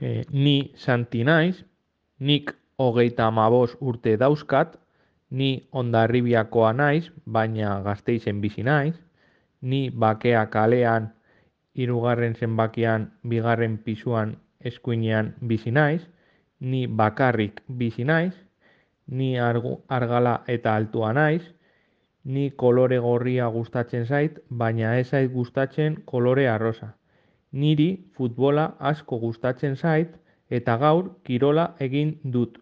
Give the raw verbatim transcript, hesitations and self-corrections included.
E, ni Santi naiz, nik hogeita hamabost urte dauzkat, ni Hondarribiakoa naiz, baina Gasteizen bizi naiz, ni Bakea kalean hirugarren zenbakian bigarren pisuan eskuinean bizi naiz, ni bakarrik bizi naiz, ni argu- argala eta altua naiz, ni kolore gorria gustatzen zait, baina ez zait gustatzen kolore arrosa. Niri futbola asko gustatzen zait eta gaur kirola egin dut.